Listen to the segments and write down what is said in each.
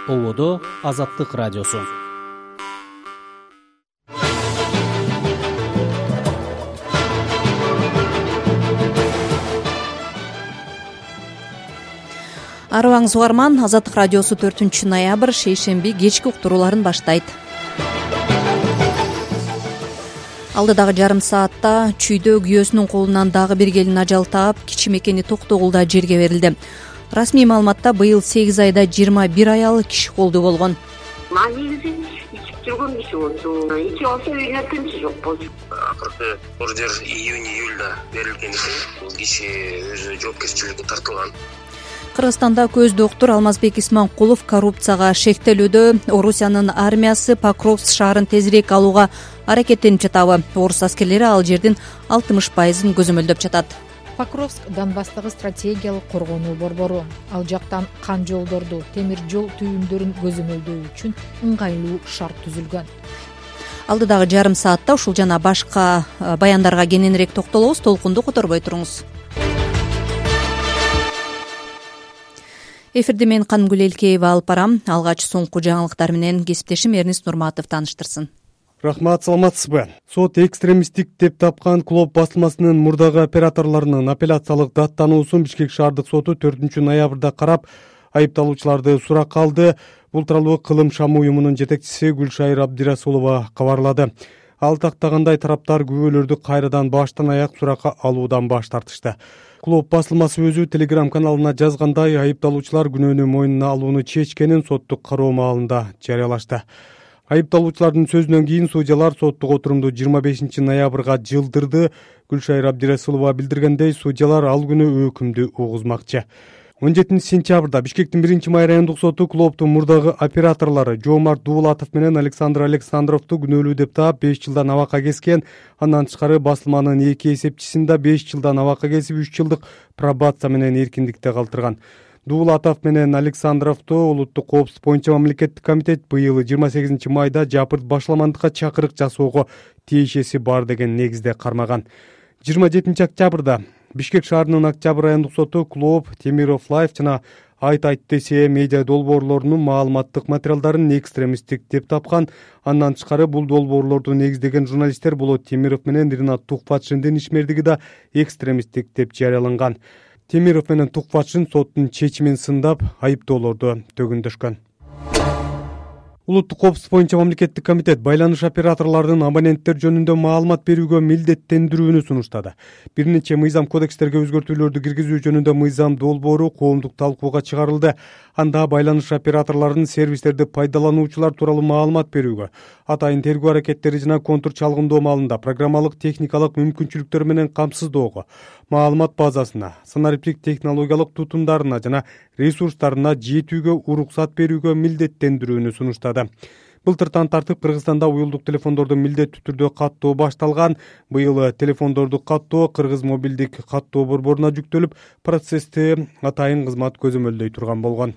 ободо Азаттык радиосу. Арыбаңыз угарман, Азаттык радиосу 4-ноябрь шейшемби кечки уктурууларын баштайт. Алдыдагы жарым саатта Чүйдө күйөөсүнүн колунан дагы бир келин ажал таап, кичи мекени Токтогулда жерге берилди. Расмий маалыматта быйыл 8 айда 21 аял киши колдуу болгон. Негизи ичип жүргөн киши болчу. Ичип алса үйүнө тынчы жок болчу. Акыркы ордер июнь-июльда берилген экен. Бул киши өзү жоопкерчиликке тартылган. Кыргызстанда көз доктур Алмазбек Исманкулов коррупцияга шектелүүдө Орусиянын армиясы Покровск шаарын тезирээк алууга аракеттенип жатабы. Орус аскерлери ал жердин 60%-ын көзөмөлдөп жатат. Покровск Донбасстагы стратегиялык коргонуу борбору. Ал жактан кан жолдорду, темир жол түйүндөрүн көзөмөлдөө үчүн ыңгайлуу шарт түзүлгөн. Алдыдагы жарым саатта ушул жана башка баяндарга кененирээк токтолобуз. Толкунду которбой туруңуз. Эфирди мен Канымгүл Элкеева алып барам. Алгач соңку жаңылыктар менен кесиптешим Эрнис Нурматов тааныштырсын. Рахмат, саламатсызбы? Сот экстремисттик деп тапкан Клоп басылмасынын мурдагы операторлорунун апелляциялык даттануусун Бишкек шаардык соту 4-ноябрда карап, айыпталуучуларды суракка алды. Бул тууралуу Кылым Шам уюмунун жетекчиси Гүлшайыр Абдирасулова кабарлады. Ал тактагандай тараптар күбөлөрдү кайрадан баштан аяк суракка алуудан баш тартышты. Клоп басылмасы өзү Telegram каналына жазгандай, айыпталуучулар күнөөнү мойнуна алууну чечкенин соттук кароо маалында жарыялашты. Айыпталуучулардын сөзүнөн кийин судьялар соттук отурумду 25-ноябрга жылдырды. Гүлшайыр Абдирасулова билдиргендей, судьялар ал күнү өкүмдү угузмакчы. 17-сентябрда Бишкектин 1-май райондук соту Клоптун мурдагы операторлору Жоомарт Дуулатов менен Александр Александровду күнөөлүү деп таап 5 жылдан абакка кескен. Андан тышкары басылманын 2 эсепчисин да 5 жылдан абакка кесип 3 жылдык пробация менен эркиндикте калтырган. Дуулатов менен Александровду улуттук коопсуздук боюнча мамлекеттик комитет быйыл 28 майда жапырт башаламандыкка чакырык жасоого тиешеси бар деген негизде кармаган. 27 октябрда Бишкек шаарынын Октябрь райондук соту Клоп, Темиров Лайф жана Айт десе медиа долбоорлорунун маалыматтык материалдарын экстремисттик деп тапкан. Андан тышкары бул долбоорлорду негиздеген журналисттер болот Темиров менен Ринат Тухфатшиндин ишмердиги да экстремисттик деп жарыяланган. Темиров менен Тухфатшин соттун чечимин сындап, айыптоолорду төгүндөшкөн. Улуттук коопсуздук боюнча мамлекеттик комитет байланыш операторлорунун абоненттер жөнүндө маалымат берүүгө милдеттендирүүнү сунуштады. Бир нече мыйзам кодекстерге өзгөртүүлөрдү киргизүү жөнүндө мыйзам долбоору коомдук талкууга чыгарылды. Анда байланыш операторлорунун сервистерди пайдалануучулар тууралуу маалымат берүүгө, атайын тергөө аракеттери жана контур чалгындоо маалында программалык техникалык мүмкүнчүлүктөр менен камсыздоого, маалымат базасына, санариптик технологиялык тутумдарына жана ресурстарына жетүүгө уруксат берүүгө милдеттендирүүнү сунуштады. Былтыртан тартып Кыргызстанда уюлдук телефондорду милдеттүү түрдө каттоо башталган. Быйыл телефондорду каттоо Кыргыз мобилдик каттоо борборуна жүктөлүп, процессти атайын кызмат көзөмөлдөй турган болгон.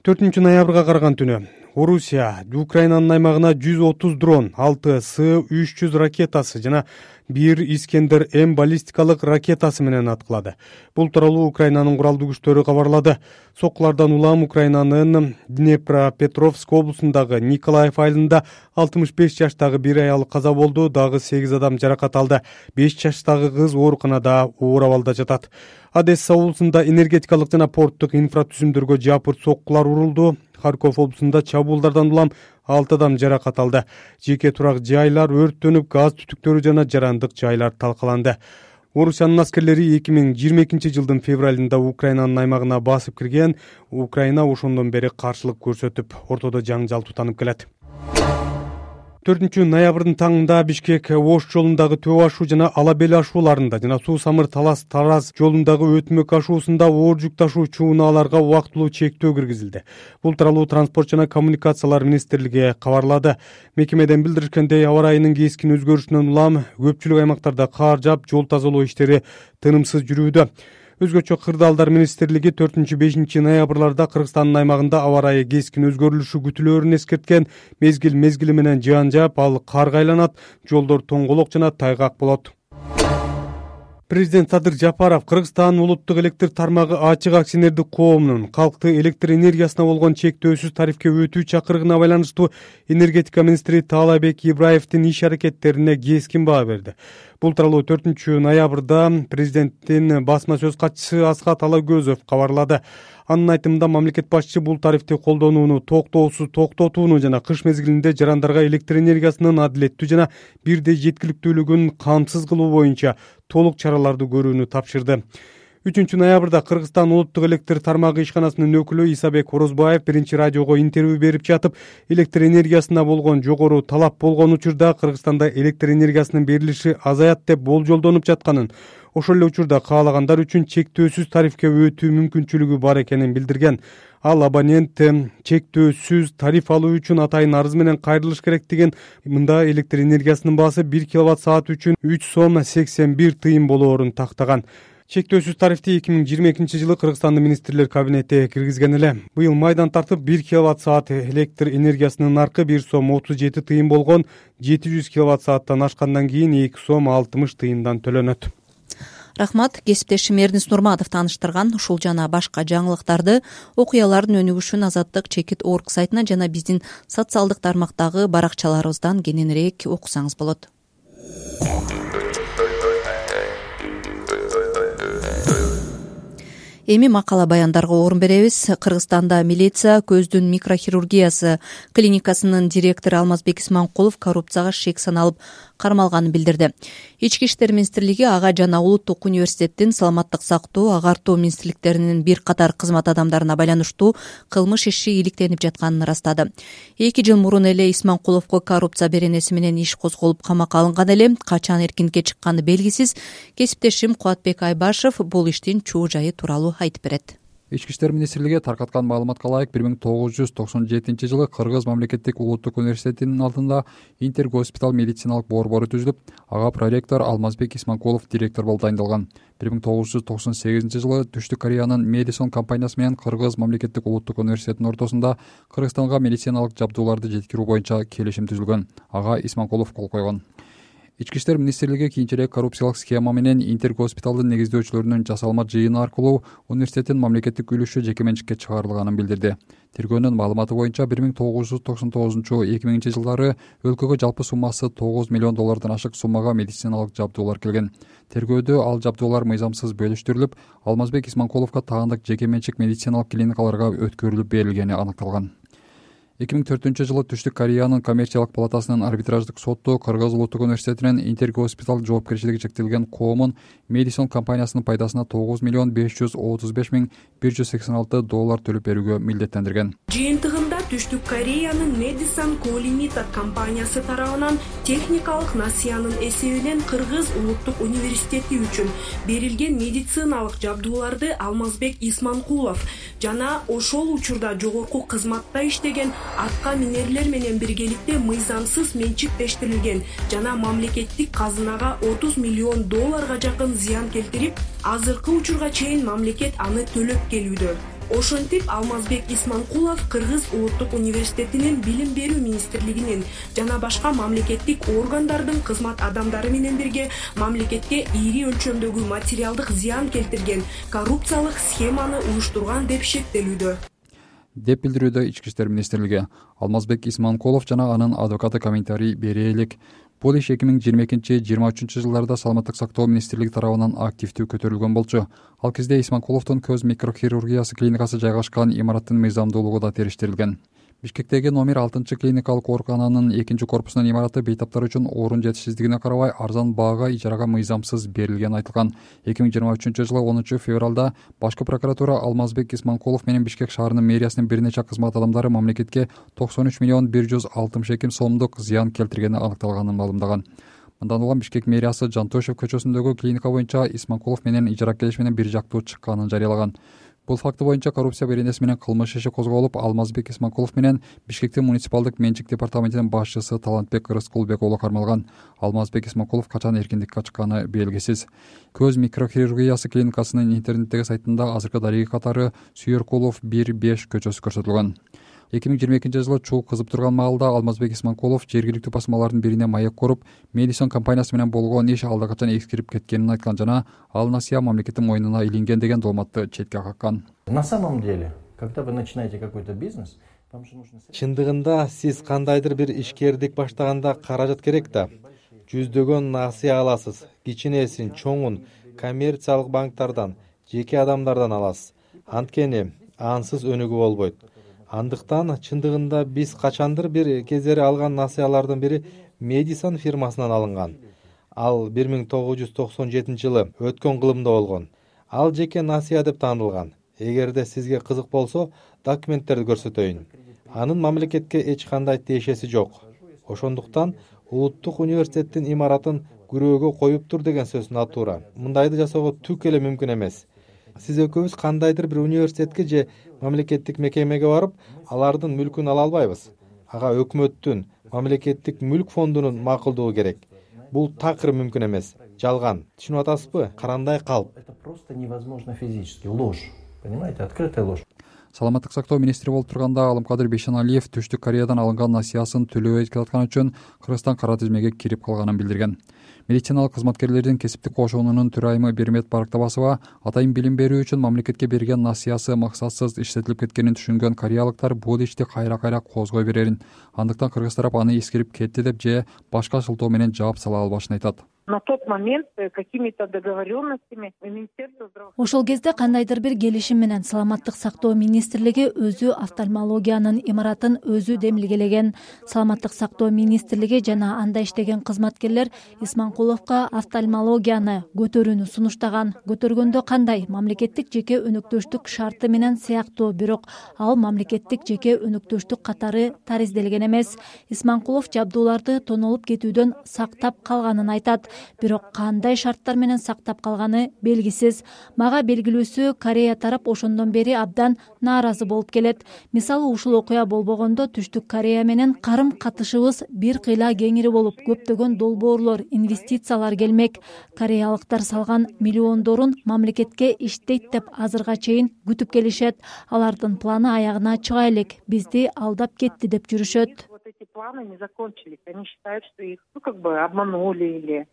4-ноябрга караган түнү Орусия Украинанын аймагына 130 дрон, 6 С-300 ракетасы жана 1 Искендер М баллистикалык ракетасы менен аткылады. Бул тууралуу Украинанын куралдуу күчтөрү кабарлады. Соккулардан улам Украинанын Днепропетровск облусундагы Николаев айылында 65 жаштагы бир аял каза болду, дагы 8 адам жаракат алды. 5 жаштагы кыз ооруканада оор абалда жатат. Одесса облусунда энергетикалык жана порттук инфратүзүмдөргө жапырт соккулар урулду. Харьков облусунда чабуулдардан улам 6 адам жаракат алды. Жеке турак жайлар өрттөнүп, газ түтүктөрү жана жарандык жайлар талкаланды. Орусиянын аскерлери 2022 жылдын февралында Украинанын аймагына басып кирген. Украина ошондон бери каршылык көрсөтүп, ортодо жаңжал тутанып келет. 4-ноябрдын таңында Бишкек Ош жолундагы Төбө ашуу жана Ала бел ашууларында жана Суу Самыр Талас Тараз жолундагы Өтмөк ашуусунда оор жүк ташуучу унааларга убактылуу чектөө киргизилди. Бул тууралуу Транспорт жана коммуникациялар министрлиги кабарлады. Мекемеден билдиришкендей, аба ырайынын кескин өзгөрүшүнөн улам көпчүлүк аймактарда кар жаап, жол тазалоо иштери тынымсыз жүрүүдө. Өзгөчө Кырдаалдар министрлиги 4-5 ноябрларда Кыргызстандын аймагында аба ырайы кескин өзгөрүлүшү күтүлөөрүн эскерткен. Мезгил менен жаан жаап, ал карга айланат, жолдор тоңголок жана тайгак болот. Президент Садыр Жапаров Кыргызстан улуттук электр тармагы ачык акционердик коомунун калкты электр энергиясына болгон чектөөсүз тарифке өтүү чакырыгына байланыштуу энергетика министри Таалайбек Ибраевдин иш аракеттерине кескин баа берди. Бул тууралуу 4-ноябрда президенттин басма сөз катчысы Асхат Алагөзов кабарлады. Анын айтымында мамлекет башчы бул тарифти колдонууну токтоосуз токтотууну жана кыш мезгилинде жарандарга электр энергиясынын адилеттүү жана бирдей жеткиликтүүлүгүн камсыз кылуу боюнча толук чараларды көрүүнү тапшырды. 3-ноябрда Кыргызстан улуттук электр тармагы ишканасынын өкүлү Исабек Орозбаев биринчи радиого интервью берип жатып, электр энергиясына болгон жогору талап болгон учурда Кыргызстанда электр энергиясынын берилиши азаят деп болжолдонуп жатканын, ошол эле учурда каалагандар үчүн чектөөсүз тарифке өтүү мүмкүнчүлүгү бар экенин билдирген. Ал абонент чектөөсүз тариф алуу үчүн атайын арыз менен кайрылыш керектигин, мында электр энергиясынын баасы 1 киловатт-саат үчүн 3 сом 81 тыйын болоорун тактаган. Чектөөсүз тарифти 2022 жылы Кыргызстандын министрлер кабинети киргизген эле. Быйыл майдан тартып 1 киловатт-саат электр энергиясынын наркы 1 сом 37 тыйын болгон, 700 киловатт-сааттан ашкандан кийин 2 сом 60 тыйындан төлөнөт. Рахмат. Кесиптешим Эрдинис Нурматов тааныштырган ушул жана башка жаңылыктарды окуялардын өнүгүшүн Азаттык чекит орг сайтынан жана биздин социалдык тармактагы баракчаларыбыздан кененирээк окусаңыз болот. Эми макала баяндарга орун беребиз. Кыргызстанда милиция көздүн микрохирургиясы клиникасынын директору Алмазбек Исманкулов коррупцияга шек саналып кармалганын билдирди. Ички иштер министрлиги ага жана Улуттук университеттин саламаттык сактоо, агартуу министрликтеринин бир катар кызмат адамдарына байланыштуу кылмыш иши иликтенип жатканын ырастады. 2 жыл мурун эле Исманкуловго коррупция беренеси менен иш козголуп камакка алынган эле. Качан эркинге чыкканы белгисиз. Кесиптешим Кубатбек Айбашев бул иштин чуу жайы тууралуу айтып берет. Ички иштер министрлиги таркаткан маалыматка ылайык 1997 жылы Кыргыз мамлекеттик улуттук университетинин алдында интергоспитал медициналык борбору түзүлүп, ага проректор Алмазбек Исманкулов директор болуп дайындалган. 1998 жылы Түштүк Кореянын Медисон компаниясы менен Кыргыз мамлекеттик улуттук университетинин ортосунда Кыргызстанга медициналык жабдууларды жеткирүү боюнча келишим түзүлгөн. Ага Исманкулов кол койгон. Ички иштер министрлиги кийинчерээк коррупциялык схема менен интергоспиталдын негиздөөчүлөрүнүн жасалма жыйыны аркылуу университеттин мамлекеттик үлүшү жеке менчикке чыгарылганын билдирди. Тергөөнүн маалыматы боюнча 1999-2000 жылдары өлкөгө жалпы суммасы $9 миллион ашык суммага медициналык жабдуулар келген. Тергөөдө ал жабдуулар мыйзамсыз бөлүштүрүлүп, Алмазбек Исманкуловго таандык жеке менчик медициналык клиникаларга өткөрүлүп берилгени аныкталган. 2004 жылы Түштүк Кореянын коммерциялык палатасынын арбитраждык соту Кыргыз улуттук университетинин интергоспитал жоопкерчилиги чектелген коомун Медисон компаниясынын пайдасына $9,535,186 төлөп берүүгө милдеттендирген. Жыйынтыгында Түштүк Кореянын Медисон Колинита компаниясы тарабынан техникалык насыянын эсебинен Кыргыз улуттук университети үчүн берилген медициналык жабдууларды Алмазбек Исманкулов жана ошол учурда жогорку кызматта иштеген атка минерлер менен биргеликте мыйзамсыз менчиктештирилген жана мамлекеттик казынага $30 миллион жакын зыян келтирип, азыркы учурга чейин мамлекет аны төлөп келүүдө. Ошентип Алмазбек Исманкулов Кыргыз улуттук университетинин билим берүү министрлигинин жана башка мамлекеттик органдардын кызмат адамдары менен бирге мамлекетке ири өлчөмдөгү материалдык зыян келтирген коррупциялык схеманы уюштурган деп шектелүүдө, деп билдирүүдө Ички иштер министрлиги. Алмазбек Исманкулов жана анын адвокаты комментарий бере элек. Бул иш 2022-23 жылдарда саламаттык сактоо министрлиги тарабынан активдүү көтөрүлгөн болчу. Ал кезде Исманкуловдун көз микрохирургиясы клиникасы жайгашкан имараттын мыйзамдуулугу да териштирилген. Бишкектеги номер 6 клиникалык оорукананын 2-корпусунун имараты бейтаптар үчүн орун жетишсиздигине карабай арзан баага ижарага мыйзамсыз берилгени айтылган. 2023 жылы 10 февралда башкы прокуратура Алмазбек Исманкулов менен Бишкек шаарынын мэриясынын бир нече кызмат адамдары мамлекетке $93,162,000 сомдук зыян келтиргени аныкталганын маалымдаган. Мындан улам Бишкек мэриясы Жантошев көчөсүндөгү клиника боюнча Исманкулов менен ижара келиш менен бир жактуу чыкканын жарыялаган. Бул факты боюнча коррупция беренеси менен кылмыш иши козголуп, Алмазбек Исманкулов менен Бишкектин муниципалдык менчик департаментинин башчысы Талантбек Рыскулбек уулу кармалган. Алмазбек Исманкулов качан эркиндикке чыкканы белгисиз. Көз микрохирургиясы клиникасынын интернеттеги сайтында азыркы дареги катары Сүйөркулов 1-5 көчөсү көрсөтүлгөн. 2022 чуу кызып турган маалда Алмазбек Исманкулов жергиликтүү басмалардын бирине маек коруп, Медисон компаниясы менен болгон иш алда качан эскирип кеткенин айткан жана ал насыя мамлекеттин мойнуна илинген деген дооматты четке каккан. На самом деле, когда вы начинаете какой-то бизнес, чындыгында сиз кандайдыр бир ишкердик баштаганда каражат керек да. Жүздөгөн насыя аласыз, кичинесин, чоңун коммерциялык банктардан, жеке адамдардан аласыз. Анткени ансыз өнүгүү болбойт. Андыктан чындыгында биз качандыр бир кездери алган насыялардын бири Медисон фирмасынан алынган. Ал 1997 өткөн кылымда болгон. Ал жеке насыя деп таанылган. Эгерде сизге кызык болсо, документтерди көрсөтөйүн. Анын мамлекетке эч кандай тиешеси жок. Ошондуктан Улуттук университеттин имаратын күрөөгө коюптур деген сөз натура. Мындайды жасоого түк эле мүмкүн эмес. Сиз экөөбүз кандайдыр бир университетке же мамлекеттик мекемеге барып, алардын мүлкүн ала албайбыз. Ага өкмөттүн мамлекеттик мүлк фондунун макулдугу керек. Бул такыр мүмкүн эмес. Жалган. Түшүнүп атасызбы? Карандай калп. Это просто невозможно физически. Ложь. Понимаете? Открытая ложь. Саламаттык сактоо министри болуп турганда Алымкадыр Бейшеналиев Түштүк Кореядан алынган насыясын төлөбөй жаткан үчүн Кыргызстан кара тизмеге кирип калганын билдирген. Медициналык кызматкерлердин кесиптик кошуунунун төрайымы Бермет Барактабасова атайын билим берүү үчүн мамлекетке берген насыясы максатсыз иштетилип кеткенин түшүнгөн кореялыктар бул ишти кайра козгой берерин, андыктан кыргыз тарап аны эскирип кетти деп же башка шылтоо менен жооп сала албашын айтат. На тот момент какими-то договоренностями Министерство здравоохранения. Ошол кезде кандайдыр бир келишим менен Саламаттык сактоо министрлиги өзү офтальмологиянын имаратын өзү демилгелеген. Саламаттык сактоо министрлиги жана анда иштеген кызматкерлер Исманкуловго офтальмологияны көтөрүүнү сунуштаган. Көтөргөндө кандай? Мамлекеттик жеке өнөктөштүк шарты менен сыяктуу, бирок ал мамлекеттик жеке өнөктөштүк катары таризделген эмес. Исманкулов жабдууларды тонолуп кетүүдөн сактап калганын айтат. Бирок кандай шарттар менен сактап калганы белгисиз. Мага белгилүүсү Корея тарап ошондон бери абдан нааразы болуп келет. Мисалы ушул окуя болбогондо Түштүк Корея менен карым катышыбыз бир кыйла кеңири болуп, көптөгөн долбоорлор, инвестициялар келмек. Кореялыктар салган миллиондорун мамлекетке иштейт деп азырга чейин күтүп келишет. Алардын планы аягына чыга элек, бизди алдап кетти деп жүрүшөт. Эти планы не закончились. Они считают, что их обманули или...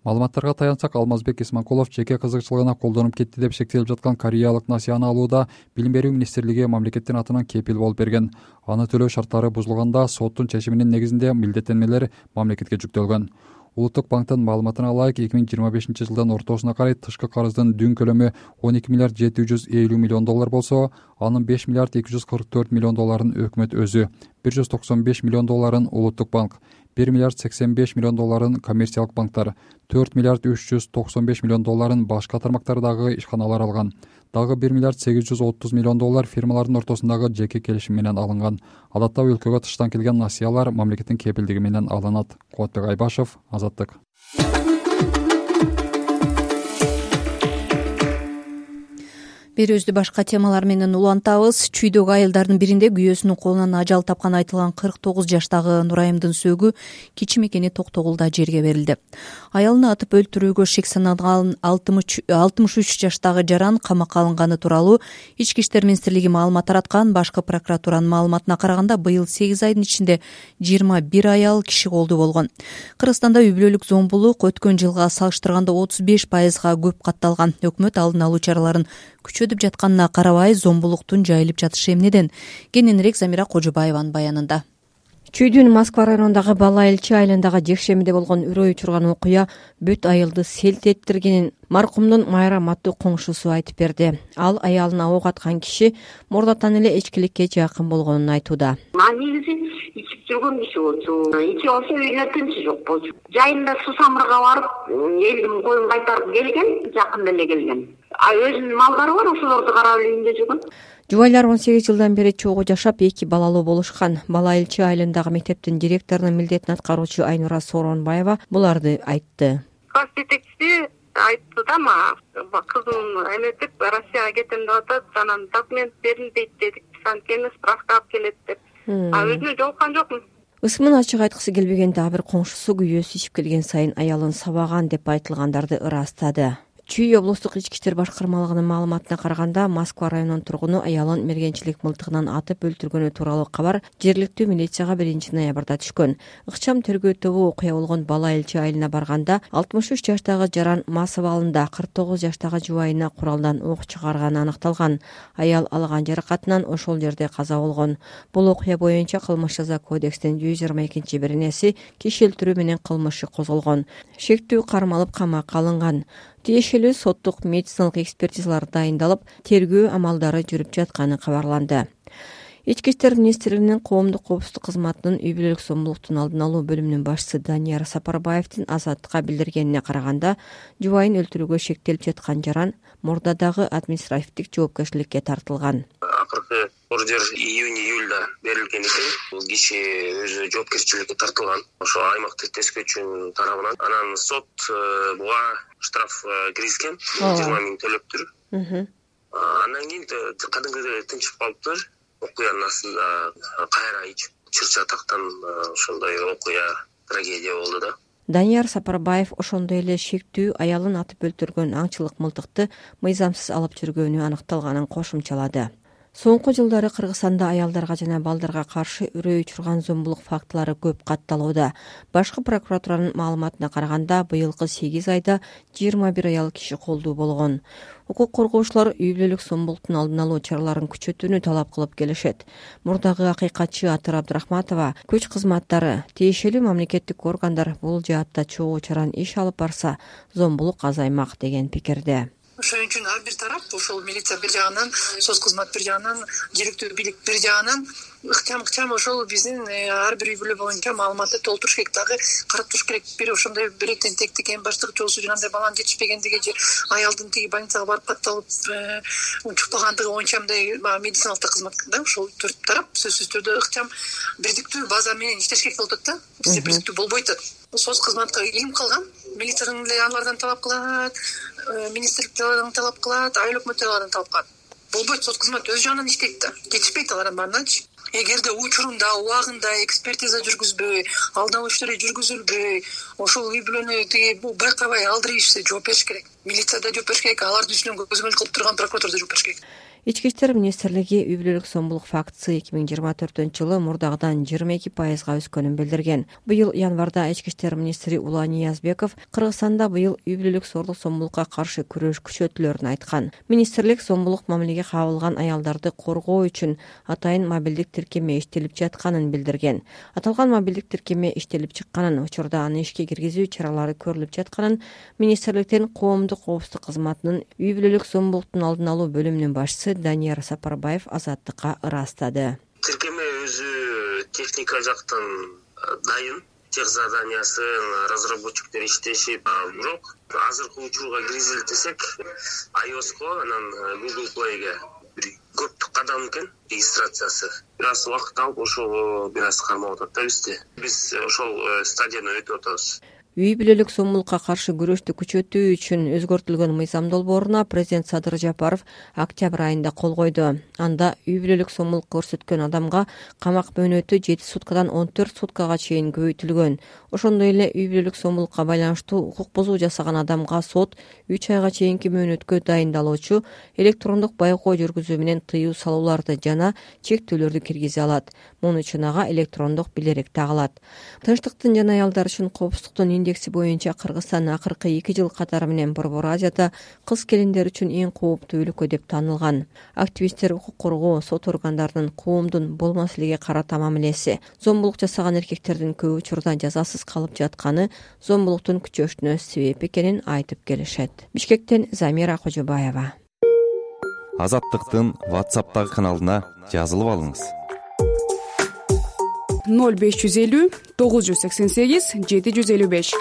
Маалыматтарга таянсак, Алмазбек Исманкулов жеке кызыкчылыгына колдонуп кетти деп шектелип жаткан кореялык насыяны алууда Билим берүү министрлиги мамлекеттин атынан кепил болуп берген. Аны төлөө шарттары бузулганда соттун чечиминин негизинде милдеттенмелер мамлекетке жүктөлгөн. Улуттук банктын маалыматына ылайык 2025 жылдын ортосуна карай тышкы карыздын дүн көлөмү 12 миллиард 750 миллион доллар болсо, анын 5 миллиард 244 миллион долларын өкмөт өзү, 195 миллион долларын улуттук банк, 1 миллиард 85 миллион долларын коммерциялык банктар, 4 миллиард 395 миллион долларын башка тармактардагы ишканалар алган. Дагы 1 миллиард 830 миллион доллар фирмалардын ортосундагы жеке келишим менен алынган. Адатта өлкөгө тыштан келген насыялар мамлекеттин кепилдиги менен алынат. Кубатбек Айбашев, Азаттык. Берүүбүздү башка темалар менен улантабыз. Чүйдөгү айылдардын биринде күйөөсүнүн колунан ажал тапкан айтылган 49 жаштагы Нурайымдын сөөгү кичи мекени Токтогулда жерге берилди. Аялын атып өлтүрүүгө шек саналган 63 жаштагы жаран камакка алынганы тууралуу Ички иштер министрлиги маалымат тараткан. Башкы прокуратуранын маалыматына караганда, быйыл 8 айдын ичинде 21 аял киши колдуу болгон. Кыргызстанда үй бүлөлүк зомбулук өткөн жылга салыштырганда 35%га көп катталган. Өкмөт алдын алуу чараларын күчөтүп жатканына карабай, зомбулуктун жайылып жатышы эмнеден? Кененирээк Замира Кожобаеванын баянында. Чүйдүн Москва районундагы Бала Элчи айылындагы жекшемиде болгон үрөй учурган окуя бүт айылды селт эттиргенин маркумдун Майрам аттуу коңшусу айтып берди. Ал аялына ок аткан киши мурдатан эле эчкиликке жакын болгонун айтууда. Негизи ичип жүргөн киши болчу. Ичип алса үйүнө тынчы жок болчу. Жайында суу самырга барып, элдин коюн кайтарып келген, жакында эле келген. Өзүнүн малдары бар, ошолорду карап эле үйүндө жүргөн. Жубайлар 18 жылдан бери чогуу жашап, 2 балалуу болушкан. Бала Элчи айылындагы мектептин директорунун милдетин аткаруучу Айнура Сооронбаева буларды айтты. Класс жетекчиси айтты да, мага кызым эметип Россияга кетем деп атат, анан документ берилбейт дедик, анткени справка алып келет деп. Өзүнө жолуккан жокмун. Ысмын ачык айткысы келбегенде бир коңшусу күйөөсү ичип келген сайын аялын сабаган деп айтылгандарды ырастады. Чүй облустук ички иштер башкармалыгынын маалыматына караганда, Москва районунун тургуну аялын мергенчилик мылтыгынан атып өлтүргөнү тууралуу кабар жергиликтүү милицияга 1-ноябрда түшкөн. Ыкчам тергөө тобу окуя болгон Бала Элчи айылына барганда 63 жаштагы Жаран Масов абалында 49 жаштагы жубайына куралдан ок чыгарганы аныкталган. Аял алган жаракатынан ошол жерде каза болгон. Бул окуя боюнча кылмыш жаза кодексинин 122-беренеси киши өлтүрүү менен кылмышы козголгон. Шектүү кармалып камакка алынган. Тиешелүү соттук медициналык экспертизалар дайындалып, тергөө амалдары жүрүп жатканы кабарланды. Ички иштер министрлигинин коомдук коопсуздук кызматынын үй бүлөлүк зомбулуктун алдын алуу бөлүмүнүн башчысы Данияр Сапарбаевдин Азаттыкка билдиргенине караганда, жубайын өлтүрүүгө шектелип жаткан Жаран мурдадагы административдик жоопкерчиликке тартылган. Акыркы ордер июнь-июльда берилген экен. Бул киши өзү жоопкерчиликке тартылган. Ошо аймактык тескөөчүнүн тарабынан. Анан сот буга штраф киргизген, 20 000 төлөптүр. Андан кийин кадимгидей тынчып калыптыр. Окуянын астында кайра чырча тактан ошондой окуя, трагедия болду да. Данияр Сапарбаев ошондой эле шектүү аялын атып өлтүргөн аңчылык мылтыкты мыйзамсыз алып жүргөнү аныкталганын кошумчалады. Соңку жылдары Кыргызстанда аялдарга жана балдарга каршы үрөй учурган зомбулук фактылары көп катталууда. Башкы прокуратуранын маалыматына караганда, быйылкы 8 айда 21 аял киши колдуу болгон. Укук коргоочулар үй бүлөлүк зомбулуктун алдын алуу чараларын күчөтүүнү талап кылып келишет. Мурдагы акыйкатчы Атыр Абдрахматова күч кызматтары, тиешелүү мамлекеттик органдар бул жаатта чогуу чаран иш алып барса, зомбулук азаймак деген пикирде. Ошон үчүн ар бир тарап, ошол милиция бир жагынан, соц кызмат бир жагынан, жергиликтүү бийлик бир жагынан ыкчам ошол биздин ар бир үй бүлө боюнча маалыматты толтуруш керек, дагы карап туруш керек. Бир ошондой бир тентектик эми баштык жоосу жанагындай баланын жетишпегендиги же аялдын тиги больницага барып катталып чукпагандыгы боюнча мындай медициналык кызмат да, ошол төрт тарап сөзсүз түрдө ыкчам бирдиктүү база менен иштеш керек болуп атат да. Бизде бирдиктүү болбой атат. Соц кызматка илим калган, милициядан деле алардан талап кылат, министрликтен талап кылат, айыл өкмөттөрдөн талап кылат. Болбойт, соц кызмат өз жагынан иштейт да. Жетишпейт алардан баарыначы. Эгерде учурунда, убагында экспертиза жүргүзбөй, алдын алуу иштери жүргүзүлбөй, ошол үй бүлөнү тиги байкабай алдырып ишсе жооп бериш керек. Милиция да жооп бериш керек, алардын үстүнөн көзөмөл кылып турган прокуратура да жооп бериш керек. Ички иштер министрлиги үй бүлөлүк зомбулук фактысы 2024-жылы мурдагыдан 22%га өскөнүн билдирген. Быйыл январда ички иштер министри Улан Ниязбеков Кыргызстанда быйыл үй бүлөлүк зордук зомбулукка каршы күрөш күчөтүлөрүн айткан. Министрлик зомбулук мамилеге кабылган аялдарды коргоо үчүн атайын мобилдик тиркеме иштелип жатканын билдирген. Аталган мобилдик тиркеме иштелип чыкканын, учурда аны ишке киргизүү чаралары көрүлүп жатканын министрликтин коомдук коопсуздук кызматынын үй бүлөлүк зомбулуктун алдын алуу бөлүмүнүн башчысы Данияр Сапарбаев Азаттыкка ырастады. Тиркеме өзү техника жактан дайын, тех заданиясын разработчиктер иштешип, бирок азыркы учурга киргизели десек, iOS-ко анан Google Play-ге бир көптүк кадам экен регистрациясы. Бир аз убакыт алып, ошого бир аз кармап атат да бизде. Биз ошол стадияны өтүп атабыз. Үй бүлөлүк зомбулукка каршы күрөштү күчөтүү үчүн өзгөртүлгөн мыйзам долбооруна президент Садыр Жапаров октябрь айында кол койду. Анда үй бүлөлүк зомбулук көрсөткөн адамга камак мөөнөтү 7 суткадан 14 суткага чейин көбөйтүлгөн. Ошондой эле үй бүлөлүк зомбулукка байланыштуу укук бузуу жасаган адамга сот 3 айга чейинки мөөнөткө дайындалуучу электрондук байкоо жүргүзүү менен тыюу салууларды жана чектөөлөрдү киргизе алат. Муну үчүн ага электрондук билерек тагылат. Тынчтыктын жана аялдар үчүн коопсуздуктун индекси боюнча Кыргызстан акыркы 2 жыл катары менен Борбор Азияда кыз келиндер үчүн эң кооптуу өлкө деп танылган. Активисттер укук коргоо, сот органдарынын коомдун бул маселеге карата мамилеси, зомбулук жасаган эркектердин көп учурда жазасыз калып жатканы зомбулуктун күчөшүнө себеп экенин айтып келишет. Бишкектен Замира Кожобаева. Азаттыктын WhatsApp'тагы каналына жазылып алыңыз. 0550 988 755.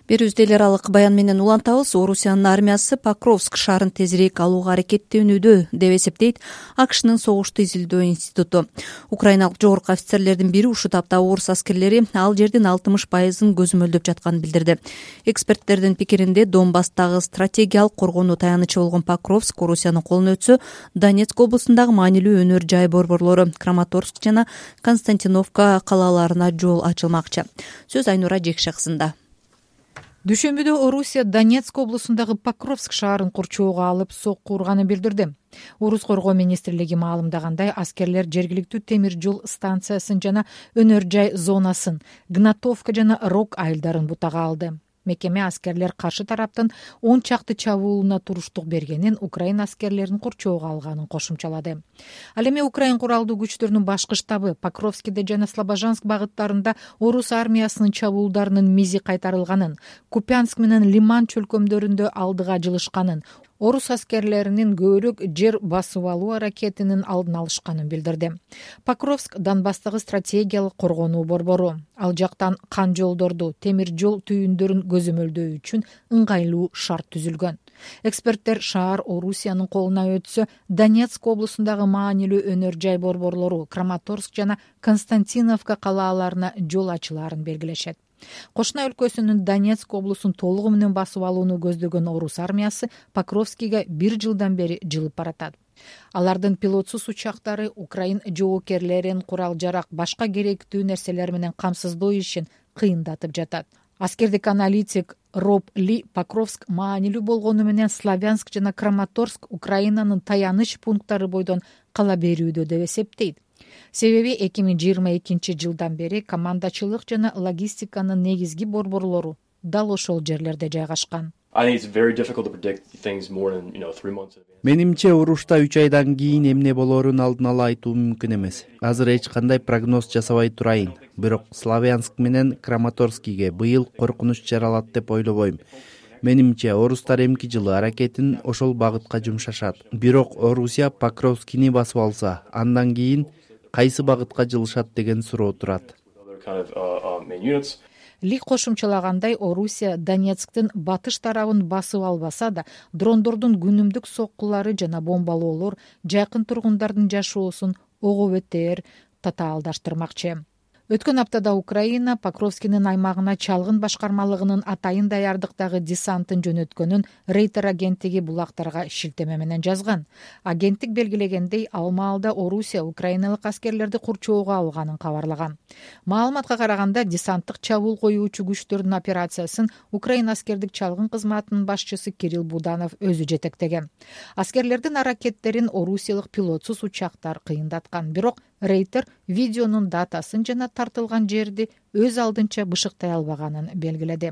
Берүүбүздө эл аралык баян менен улантабыз. Орусиянын армиясы Покровск шаарын тезирээк алууга аракеттенүүдө деп эсептейт АКШнын согушту изилдөө институту. Украиналык жогорку офицерлердин бири ушул тапта орус аскерлери ал жердин 60%-ын көзөмөлдөп жатканын билдирди. Эксперттердин пикиринде Донбасстагы стратегиялык коргонуу таянычы болгон Покровск Орусиянын колуна өтсө, Донецк облусундагы маанилүү өнөр жай борборлору Краматорск жана Константиновка калаларына жол ачылмакчы. Сөз Айнура Жекшексында. Дүйшөмбүдө Орусия Донецк облусундагы Покровск шаарын курчоого алып сокку урганын билдирди. Орус коргоо министрлиги маалымдагандай, аскерлер жергиликтүү темир жол станциясын жана өнөр жай зонасын, Гнатовка жана Рок айылдарын бутага алды. Мекеме аскерлер каршы тараптын 10 чакты чабуулуна туруштук бергенин, Украина аскерлерин курчоого алганын кошумчалады. Ал эми Украин куралдуу күчтөрүнүн башкы штабы Покровскиде жана Слобожанск багыттарында орус армиясынын чабуулдарынын мизи кайтарылганын, Купянск менен Лиман чөлкөмдөрүндө алдыга жылышканын, орус аскерлеринин көбүрөөк жер басып алуу аракетинин алдын алышканын билдирди. Покровск Донбасстагы стратегиялык коргонуу борбору. Ал жактан кан жолдорду, темир жол түйүндөрүн көзөмөлдөө үчүн ыңгайлуу шарт түзүлгөн. Эксперттер шаар Орусиянын колуна өтсө, Донецк облусундагы маанилүү өнөр жай борборлору Краматорск жана Константиновка калааларына жол ачылаарын белгилешет. Кошуна өлкөсүнүн Донецк облусун толугу менен басып алууну көздөгөн орус армиясы Покровскиге 1 жылдан бери жылып баратат. Алардын пилотсуз учактары Украин жоокерлерин курал жарак, башка керектүү нерселер менен камсыздоо ишин кыйындатып жатат. Аскердик аналитик Роб Ли Покровск маанилүү болгону менен Славянск жана Краматорск Украинанын таяныч пункттары бойдон кала берүүдө деп эсептейт. Себеби 2022 жылдан бери командачылык жана логистиканын негизги борборлору дал ошол жерлерде жайгашкан. Менимче урушта 3 айдан кийин эмне болоорун алдын ала айтуу мүмкүн эмес. Азыр эч кандай прогноз жасабай турайын. Бирок Славянск менен Краматорскиге быйыл коркунуч жаралат деп ойлобойм. Менимче орустар эмки жылы аракетин ошол багытка жумшашат. Бирок Орусия Покровскини басып алса, андан кийин кайсы багытка жылышат деген суроо турат. Ли кошумчалагандай, Орусия Донецктин батыш тарабын басып албаса да, дрондордун күнүмдүк соккулары жана бомбалоолор жакын тургундардын жашоосун ого бетер татаалдаштырмакчы. Өткөн аптада Украина Покровскинин аймагына чалгын башкармалыгынын атайын даярдыктагы десантын жөнөткөнүн Рейтер агенттиги булактарга шилтеме менен жазган. Агенттик белгилегендей, ал маалда Орусия украиналык аскерлерди курчоого алганын кабарлаган. Маалыматка караганда, десанттык чабуул коюучу күчтөрдүн операциясын Украина аскердик чалгын кызматынын башчысы Кирилл Буданов өзү жетектеген. Аскерлердин аракеттерин орусиялык пилотсуз учактар кыйындаткан, бирок Рейтер видеонун датасын жана тартылган жерди өз алдынча бышыктай албаганын белгиледи.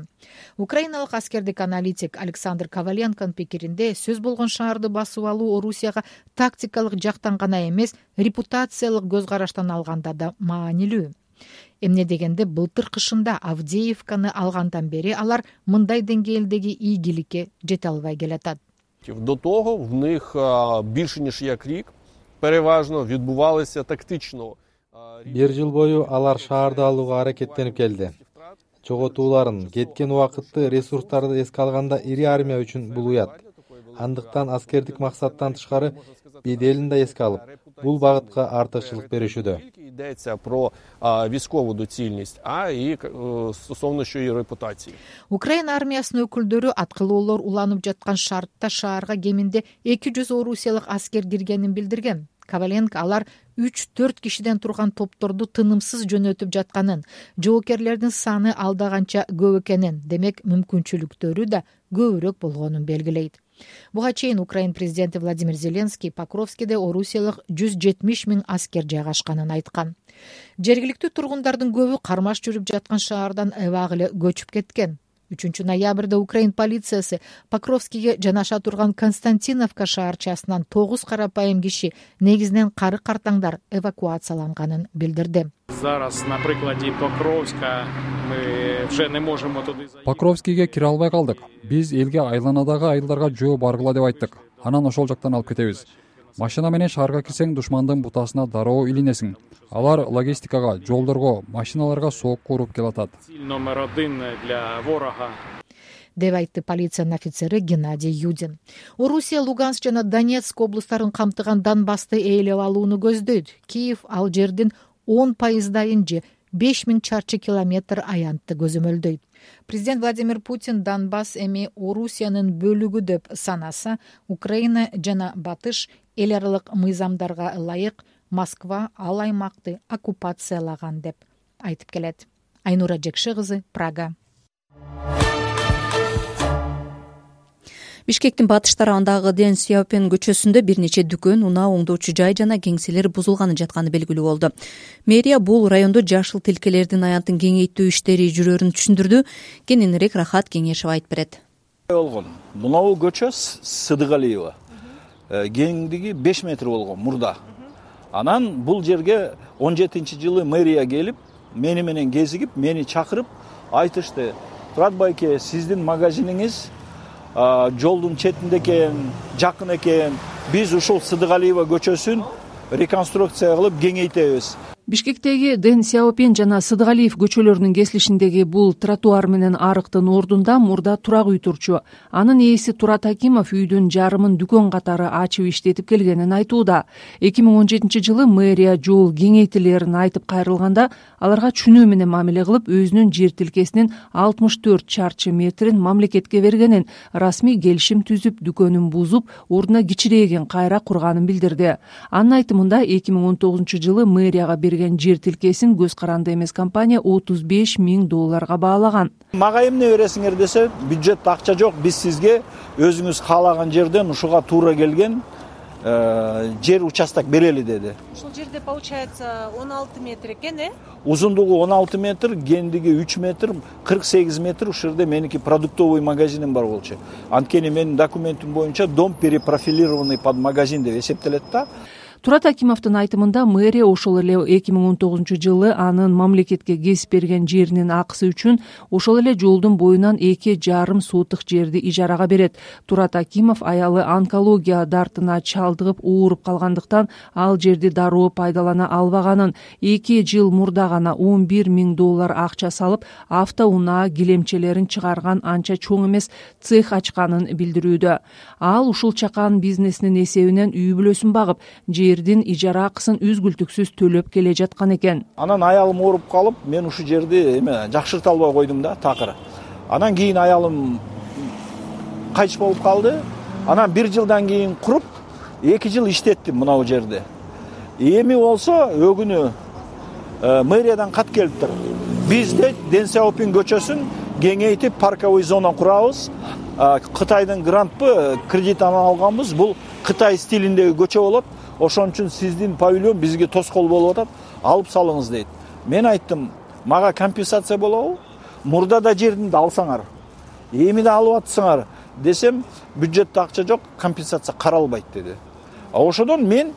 Украиналык аскердик аналитик Александр Коваленконун пикиринде, сөз болгон шаарды басып алуу Орусияга тактикалык жактан гана эмес, репутациялык көз караштан алганда да маанилүү. Эмне дегенде, былтыр кышында Авдеевканы алгандан бери алар мындай деңгээлдеги ийгиликке жете албай келатат. До того в них більше ніж як рік переважно відбувалися тактично. 1 жыл бою алар шаарды алууга аракеттенип келди. Жоготууларын, кеткен убакытты, ресурстарды эске алганда ири армия үчүн бул уят. Андыктан аскердик максаттан тышкары беделин да эске алып, бул багытка артыкчылык беришүүдө. Йдеться про військову доцільність, а і стосовно що і репутації. Украина армиясынын өкүлдөрү аткылоолор уланып жаткан шартта шаарга кеминде 200 орусиялык аскер киргенин билдирген. Коваленко алар 3-4 кишиден турган топторду тынымсыз жөнөтүп жатканын, жоокерлердин саны алдаганча көп экенин, демек мүмкүнчүлүктөрү да көбүрөөк болгонун белгилейт. Буга чейин Украин президенти Владимир Зеленский Покровскиде орусиялык 170 000 аскер жайгашканын айткан. Жергиликтүү тургундардын көбү кармаш жүрүп жаткан шаардан эбак эле көчүп кеткен. 3 ноябрда Украин полициясы Покровскиге жанаша турган Константиновка шаарчасынан 9 карапайым киши, негизинен кары картаңдар, эвакуацияланганын билдирди. Зараз на приклади Покровска мы уже не можем туди заехать. Покровскиге кире албай калдык. Биз элге айланадагы айылдарга жөө баргыла деп айттык. Анан ошол жактан алып кетебиз. Машина менен шаарга кирсең, душмандын бутасына дароо илинесиң. Алар логистикага, жолдорго, машиналарга сокку уруп келатат. Номер 1 для ворога. Деп айтты полициянын офицери Геннадий Юдин. Орусия Луганск жана Донецк облустарын камтыган Донбассты ээлеп алууну көздөйт. Киев ал жердин 10% же 5000 чарчы километр аянтты көзөмөлдөйт. Президент Владимир Путин Донбасс эми Орусиянын бөлүгү деп санаса, Украина жана Батыш эл аралык мыйзамдарга ылайык Москва ал аймакты оккупациялаган деп айтып келет. Айнура Жекши кызы, Прага. Бишкектин батыш тарабындагы Дэн Сяопин көчөсүндө бир нече дүкөн, унаа оңдоочу жай жана кеңселер бузулганы жатканы белгилүү болду. Мэрия бул райондо жашыл тилкелердин аянтын кеңейтүү иштери жүрөрүн түшүндүрдү. Кененирээк Рахат Кеңешев айтып берет. Мынау көчө Сыдыгалиева. Кеңдиги 5 метр болгон мурда. Анан бул жерге 17-жылы мэрия келип, мени менен кезигип, мени чакырып айтышты: "Турат байке, сиздин магазиниңиз жолдун четинде экен, жакын экен. Биз ушул Сыдыгалиева көчөсүн реконструкция кылып кеңейтебиз." Бишкектеги Дэн Сяопин жана Сыдыгалиев көчөлөрүнүн кесилишиндеги бул тротуар менен арыктын ордунда мурда турак үй турчу. Анын ээси Турат Акимов үйдүн жарымын дүкөн катары ачып иштетип келгенин айтууда. 2017-жылы мэрия жол кеңейтилерин айтып кайрылганда аларга чүнүү менен мамиле кылып, өзүнүн жер тилкесинин 64 чарчы метрин мамлекетке бергенин, расмий келишим түзүп, дүкөнүн бузуп, ордуна кичирээген кайра курганын билдирди. Анын айтымында 2019-жылы мэрияга жер тилкесин көз каранды эмес компания $35 000 баалаган. Мага эмне бересиңер десе, бюджетте акча жок, биз сизге өзүңүз каалаган жерден ушуга туура келген жер участок берели деди. Ушул жерде получается 16 метр экен, Узундугу 16 метр, кендиги 3 метр, 48 метр. Ушул жерде меники продуктовый магазиним бар болчу. Анткени менин документим боюнча дом перепрофилированный под магазин деп эсептелет да. Турат Акимовдун айтымында мэрия ошол эле 2019-жылы анын мамлекетке кесип берген жеринин акысы үчүн ошол эле жолдун боюнан 2,5 сотык жерди ижарага берет. Турат Акимов аялы онкология дартына чалдыгып ооруп калгандыктан ал жерди дароо пайдалана албаганын, 2 жыл мурда гана $11 000 акча салып, автоунаа килемчелерин чыгарган анча чоң эмес цех ачканын билдирүүдө. Ал ушул чакан бизнесинин эсебинен үй бүлөсүн багып, жердин ижара акысын үзгүлтүксүз төлөп келе жаткан экен. Анан аялым ооруп калып, мен ушул жерди жакшырта албай койдум да, такыр. Анан кийин аялым кайтыш болуп калды. Анан 1 жылдан кийин куруп, 2 жыл иштеттим мынау жерде. Эми болсо өгүнү мэриядан кат келиптир. Биз де Дэн Сяопин көчөсүн кеңейтип парковый зона курабыз. Кытайдын грантпы кредитин алганбыз. Бул Кытай стилиндеги көчө болот. Ошон үчүн сиздин павильон бизге тоскоол болуп атат, алып салыңыз дейт. Мен айттым, мага компенсация болобу? Мурда да жердимди алсаңар, эми да алып атсаңар десем, бюджетте акча жок, компенсация каралбайт деди. Ошодон мен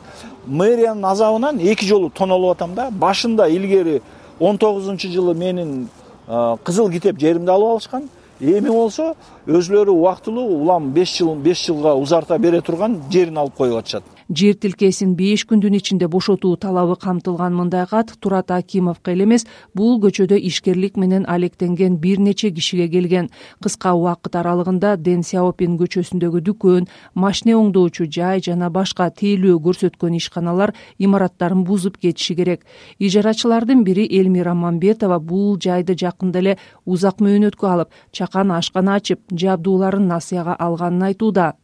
мэриянын азабынан 2 жолу тонолуп атам да. Башында илгери 19-жылы менин кызыл китеп жеримди алып алышкан. Эми болсо өзлөрү убактылуу улам 5 жылга узарта бере турган жерин алып коюп атышат. Жер тилкесин 5 күндүн ичинде бошотуу талабы камтылган мындай кат Турат Акимовго эле эмес, бул көчөдө ишкерлик менен алектенген бир нече кишиге келген. Кыска убакыт аралыгында Дэн Сяопин көчөсүндөгү дүкөн, машина оңдоочу жай жана башка тейлөө көрсөткөн ишканалар имараттарын бузуп кетиши керек. Ижарачылардын бири Элмира Мамбетова бул жайды жакында эле узак мөөнөткө алып, чакан ашкана ачып, жабдууларын насыяга алганын айтууда.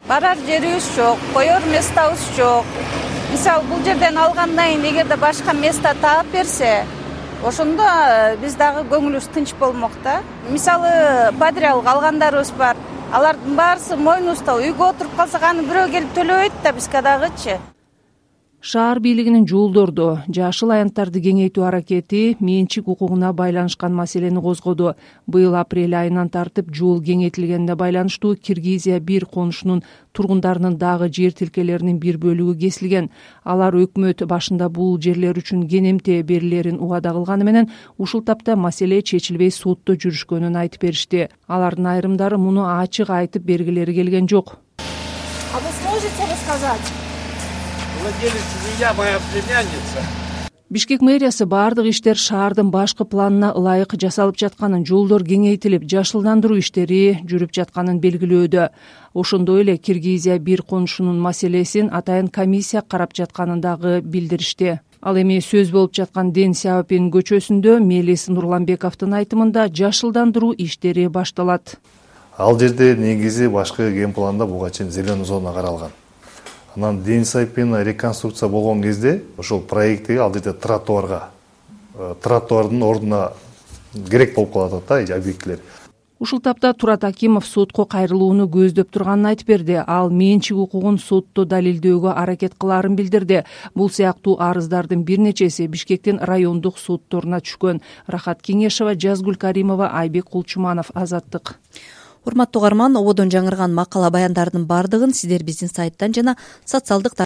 Барар жерибиз жок, коер местабыз жок. Мисалы бул жерден алгандан кийин эгерде башка место таап берсе, ошондо биз дагы көңүлүбүз тынч болмок да. Мисалы подряд алгандарыбыз бар. Алардын баарысы мойнубузда, үйгө отуруп калсак аны бирөө келип төлөбөйт да бизге дагычы. Шаар бийлигинин жолдорду, жашыл аянттарды кеңейтүү аракети менчик укугуна байланышкан маселени козгоду. Быйыл апрель айынан тартып жол кеңейтилгенине байланыштуу Киргизия 1 конушунун тургундарынын дагы жер тилкелеринин бир бөлүгү кесилген. Алар өкмөт башында бул жерлер үчүн кенемте берилерин убада кылганы менен ушул тапта маселе чечилбей сотто жүрүшкөнүн айтып беришти. Алардын айрымдары муну ачык айтып бергилери келген жок. А вы сможете рассказать? Владелец меня, моя племянница. Бишкек мэриясы бардык иштер шаардын башкы планына ылайык жасалып жатканын, жолдор кеңейтилип, жашылдандыруу иштери жүрүп жатканын белгилөөдө. Ошондой эле Киргизия 1 конушунун маселесин атайын комиссия карап жатканын дагы билдиришти. Ал эми сөз болуп жаткан Дэн Сяопин көчөсүндө Мелис Нурланбековдун айтымында жашылдандыруу иштери башталат. Ал жерде негизи башкы ген планда буга чейин зеленый зона каралган. Анан Дэн Сяопин реконструкция болгон кезде ошол проекти ал жерде тротуардын ордуна керек болуп калат да объектилер. ушул тапта Турат Акимов сотко кайрылууну көздөп турганын айтып берди. Ал менчик укугун сотто далилдөөгө аракет кылаарын билдирди. Бул сыяктуу арыздардын бир нечеси Бишкектин райондук сотторуна түшкөн. Рахат Кеңешева, Жазгүл Каримова, Айбек Кулчуманов, Азаттык. Урматтуу угарман, ободон жаңырган макала баяндардын бардыгын сиздер биздин сайттан жана социалдык